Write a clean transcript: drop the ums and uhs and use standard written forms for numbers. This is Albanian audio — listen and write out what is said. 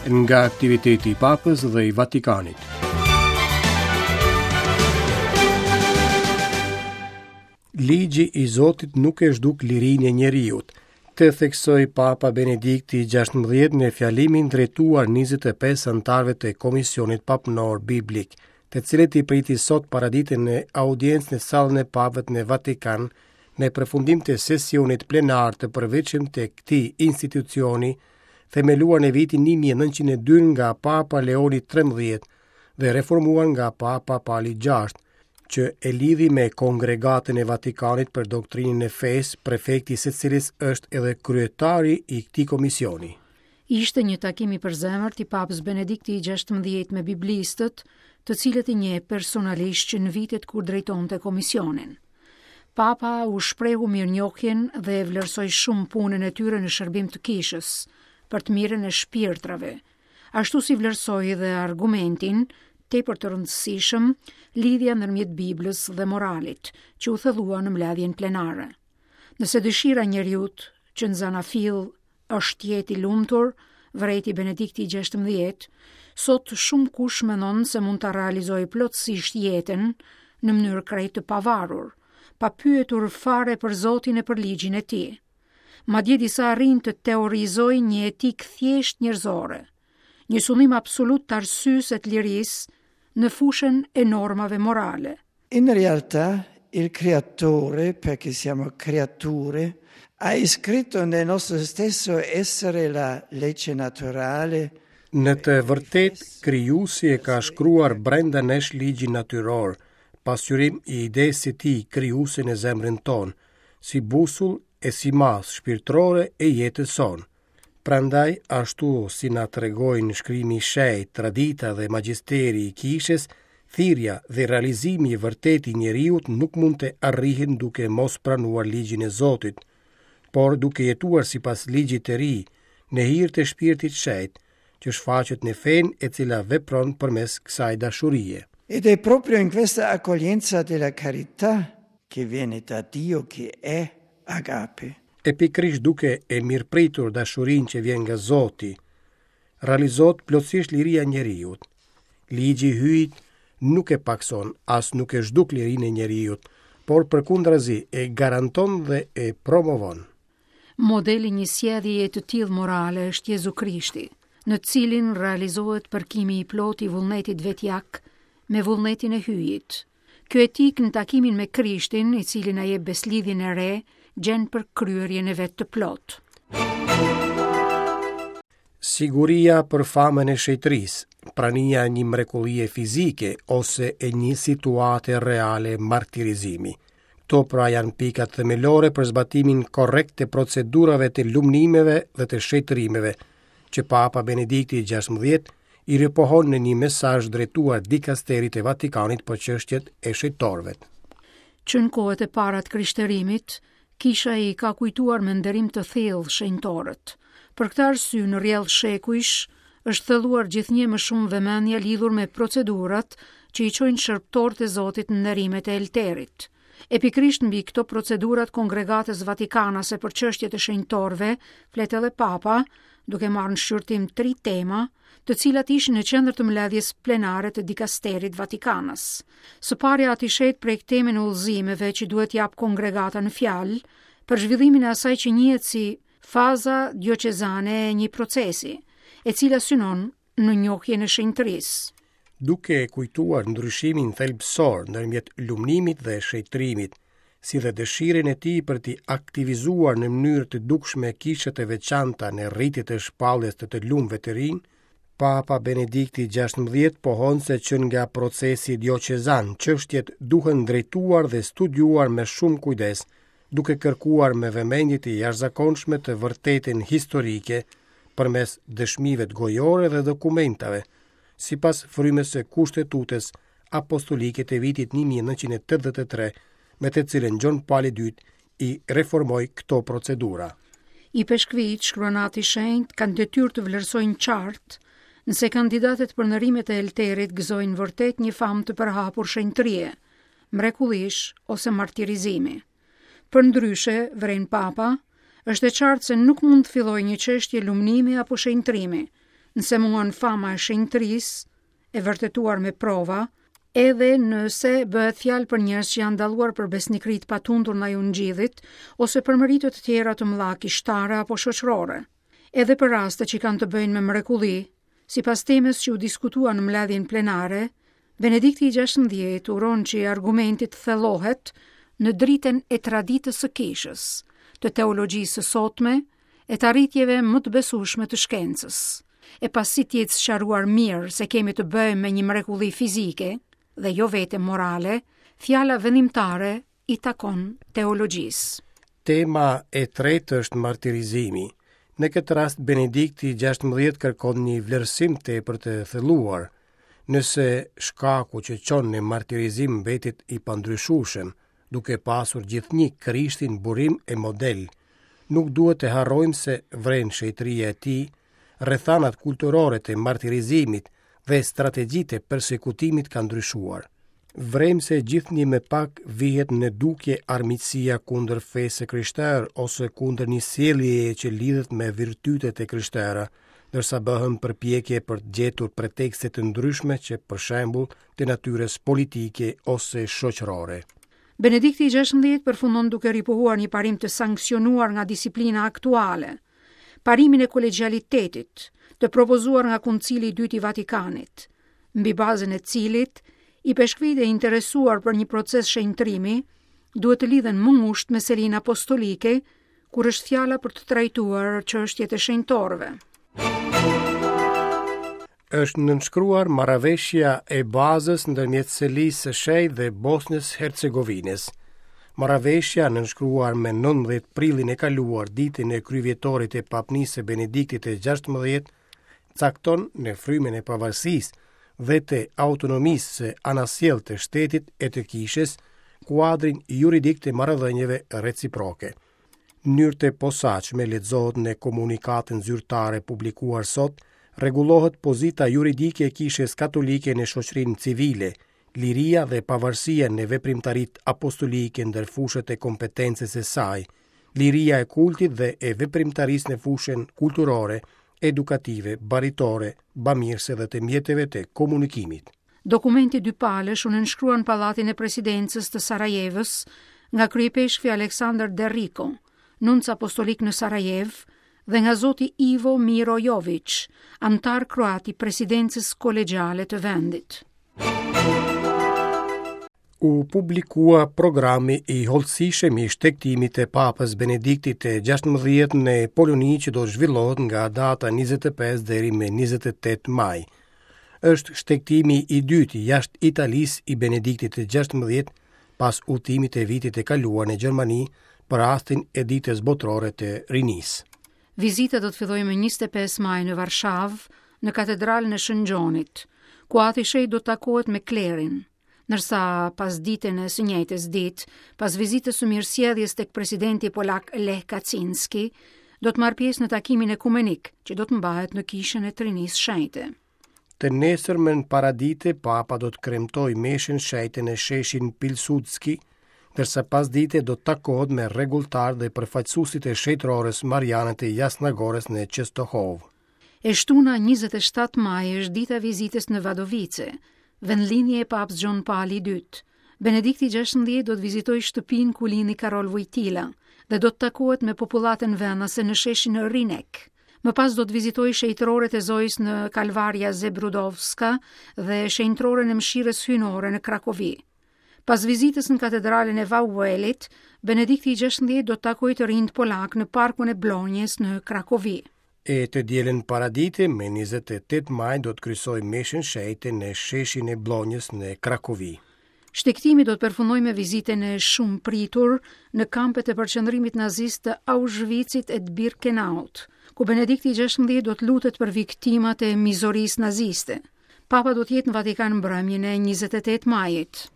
Nga aktiviteti i Papës dhe i Vatikanit. Ligji i Zotit nuk e zhduk lirinë e njeriut, këtë theksoi Papa Benedikti XVI në fjalimin drejtuar 25 anëtarëve të Komisionit Papnor Biblik, të cilët i priti sot paradite në audiencë në sallën e Papëve në Vatikan, në përfundim të sesionit plenar të përvitshëm të këtij institucioni, themeluar në vitin 1902 nga Papa Leoni XIII dhe reformuar nga Papa Pali VI, që e lidhi me Kongregatën e Vatikanit për Doktrinën e Fesë, prefekti i së cilës është edhe kryetari i këtij komisioni. Ishte një takim i përzemërt i Papës Benedikti XVI me biblistët, të cilët i njeh personalisht që në vitet kur drejtonte komisionin. Papa u shprehu mirënjohjen dhe e vlerësoi shumë punën e tyre në shërbim të kishës, për të mirën e shpirtrave, ashtu si vlerësoi dhe argumentin tepër të rëndësishëm, lidhja ndërmjet Biblës dhe moralit, që u thellua në mbledhjen plenare. Nëse dëshira e njeriut që në zanafillë është të jetë i lumtur, vërejti Benedikti XVI, sot shumëkush mendon se mund ta realizojë plotësisht jetën në mënyrë krejt të pavarur, pa pyetur fare për Zotin e për ligjin e tij. Madje disa arrijnë të teorizojnë një etikë thjesht njerëzore, një sundim absolut të arsyes e të lirisë në fushën e normave morale. In realtà il creatore, perché siamo creature, ha iscritto nel nostro stesso essere la legge naturale. Në të vërtetë, krijuesi e ka shkruar brenda nesh ligjin natyror, pasqyrim i idesë së tij krijuese në zemrën tonë, si busull e si masë shpirtërore e jetës sonë. Prandaj, ashtu si na tregojnë shkrimi i shenjtë, tradita dhe magjisteri i kishës, thirrja dhe realizimi i vërtetë i njeriut nuk mund të arrihen duke mos pranuar ligjin e Zotit, por duke jetuar sipas ligjit të ri, në hir të Shpirtit të Shenjtë, që shfaqet në fenë e cila vepron përmes kësaj dashurie. Ed è proprio in questa accoglienza della carità che viene da Dio che è agape. E pikërisht duke e mirëpritur dashurinë që vjen nga Zoti, realizohet plotësisht liria e njeriut. Ligji i Hyjit nuk e pakëson, as nuk e zhduk lirinë e njeriut, por përkundrazi e garanton dhe e promovon. Modeli i një sjelljeje të tillë morale është Jezu Krishti, në të cilin realizohet përkimi i plotë i vullnetit vetjak me vullnetin e Hyjit. Kjo etikë në takimin me Krishtin, i cili na jep besëlidhjen e re, gjen përkryerjen e vet të plotë. Siguria për famën e shenjtërisë, prania e një mrekullie fizike ose e një situate reale martirizimi. Këto pra janë pikat themelore për zbatimin korrekt të procedurave të lumnimeve dhe të shenjtërimeve, që Papa Benedikti XVI i ripohon në një mesazh drejtuar dikasterit të Vatikanit për çështjet e shenjtorëve. Që në kohët e para të krishterimit, kisha i ka kujtuar me nderim të thellë shenjtorët. Për këtë arsye, në rrjedhë shekujsh, është thelluar gjithnjë më shumë vëmendja lidhur me procedurat që i çojnë shërbëtorët e Zotit në nderimet e Elterit. E pikërisht mbi këto procedura të Kongregatës Vatikanase për çështjet e shenjtorëve, flet edhe Papa, duke marrë në shqyrtim tri tema, të cilat ishin në qendër të mbledhjes plenare të dikasterit Vatikanas. Së pari Ati i Shenjtë prek temën e udhëzimeve që duhet të japë kongregata në fjalë për zhvillimin e asaj që njihet si faza dioqezane e një procesi, e cila synon në njohjen e shenjtërisë. Duke e kujtuar ndryshimin thelbësor ndërmjet lumnimit dhe shenjtërimit, si dhe dëshirën e tij për t'i aktivizuar në mënyrë të dukshme kishat e veçanta në ritet e shpalljes të të lumëve të rinj, Papa Benedikti XVI pohon se që nga procesi dioqezan, çështjet duhen drejtuar dhe studiuar me shumë kujdes, duke kërkuar me vëmendje të jashtëzakonshme të vërtetën historike përmes dëshmive gojore dhe dokumentave, sipas frymës së Kushtetutës Apostolike të vitit 1983, me të cilën Gjon Pali II i reformoi këto procedura. Ipeshkvijtë, shkruan Ati i Shenjtë, kanë detyrë të vlerësojnë qartë nëse kandidatët për nderimet e Elterit gëzojnë vërtet një famë të përhapur shenjtërie, mrekullish ose martirizimi. Përndryshe, vëren Papa, është e qartë se nuk mund të fillojë një çështje lumnimi apo shenjtërimi. Nëse mungon fama e shenjtërisë, e vërtetuar me prova, edhe nëse bëhet fjalë për njerëz që janë dalluar për besnikëri të patundur ndaj ungjillit ose për meritë të tjera të mëdha kishtare apo shoqërore. Edhe për raste që kanë të bëjnë me mrekulli, sipas temës që u diskutua në mbledhjen plenare, Benedikti i 16 uron që argumenti të thellohet në dritën e traditës së kishës, të teologjisë së sotme e të arritjeve më të besueshme të shkencës. E pasi të jetë sqaruar mirë se kemi të bëjmë me një mrekulli fizike dhe jo vetëm morale, fjala vendimtare i takon teologjisë. Tema e tretë është martirizimi. Në këtë rast Benedikti 16 kërkon një vlerësim tepër të thelluar. Nëse shkaku që çon në martirizim mbetet i pandryshueshëm, duke pasur gjithnjë Krishtin burim e model, nuk duhet të harrojmë se vren shenjtëria e tij, rrethanat kulturore të martirizimit dhe strategjitë e persekutimit kanë ndryshuar. Vrejmë se gjithnjë më pak vihet në dukje armiqësia kundër fesë së krishterë ose kundër një sjelljeje që lidhet me virtytet e krishtera, ndërsa bëhen përpjekje për të gjetur pretekste të ndryshme që për shembull të natyrës politike ose shoqërore. Benedikti i 16 përfundon duke ripohuar një parim të sanksionuar nga disiplina aktuale, parimin e kolegjialitetit, të propozuar nga Koncili i Dytë i Vatikanit, mbi bazën e cilit ipeshkvijtë e interesuar për një proces shenjtërimi duhet të lidhen më ngushtë me selinë apostolike kur është fjala për të trajtuar çështjet e shenjtorëve. Është nënshkruar marrëveshja e bazës ndërmjet Selisë së Shenjtë dhe Bosnjës Hercegovinës. Marrëveshja nënshkruar me 19 prillin e kaluar ditën e kryevjetorit të papnisë së Benediktit të 16 cakton në frymën e pavarësisë dhe të autonomisë së anasjelltë të shtetit e të kishës kuadrin juridik të marrëdhënieve reciproke. Në mënyrë të posaçme lexohet në komunikatën zyrtare publikuar sot, rregullohet pozita juridike e Kishës Katolike në shoqërinë civile, liria dhe pavarësia në veprimtaritë apostolike ndër fushat e kompetencës së saj, liria e kultit dhe e veprimtarisë në fushën kulturore, edukative, baritore, bamirëse dhe të mjeteve të komunikimit. Dokumenti dypalësh u nënshkrua në Pallatin e Presidencës të Sarajevës nga kryeipeshkvi Aleksandar Derriko, nunc apostolik në Sarajevë, dhe nga zoti Ivo Miro Jović, anëtar kroat i Presidencës Kolegjiale të vendit. U publikua programi i hollësishëm i shtegtimit të Papës Benediktit të 16 në Poloni që do të zhvillohet nga data 25 deri më 28 maj. Është shtegtimi i dytë jashtë Italisë i Benediktit të 16 pas udhëtimit të vitit të kaluar në Gjermani për rastin e Ditës Botërore të Rinisë. Vizita do të fillojë më 25 maj në Varshavë, në Katedralen e Shën Gjonit, ku Ati i Shenjtë do të takohet me klerin, ndërsa pasditen e së njëjtës ditë, pas vizitës së mirësjelljes tek presidenti polak Lech Kaczynski, do të marrë pjesë në takimin ekumenik që do të mbahet në Kishën e Trinisë Shenjte. Të nesërmen paradite, Papa do të kremtojë meshën shenjte në sheshin Pilsudski, ndërsa pasdite do të takohet me rregulltarët dhe përfaqësuesit e shenjtërores Mariane të Jasna Gorës në Çestohovë. E shtuna 27 maj është dita e vizitës në Vadovice, vendlindje e Papës Gjon Pali i II. Benedikti XVI do të vizitojë shtëpinë ku lindi Karol Vojtila dhe do të takohet me popullatën vendase në sheshin Rinek. Më pas do të vizitojë shenjtëroret e Zojës në Kalvaria Zebrudowska dhe shenjtëroren e Mëshirës Hyjnore në Krakovi. Pas vizitës në katedralen e Wawel-it, Benedikti i XVI do të takojë të rinjtë polakë në parkun e Blonjës në Krakovi. E të dielën paradite, me 28 maj do të kryesojë meshën shenjte në sheshin e Blonjës në Krakovi. Shtegtimi do të përfundojë me vizitën e shumëpritur në kampet e përqendrimit nazist të Auschwitzit e të Birkenaut, ku Benedikti i XVI do të lutet për viktimat e mizorisë naziste. Papa do të jetë në Vatikan mbrëmjen e 28 majit.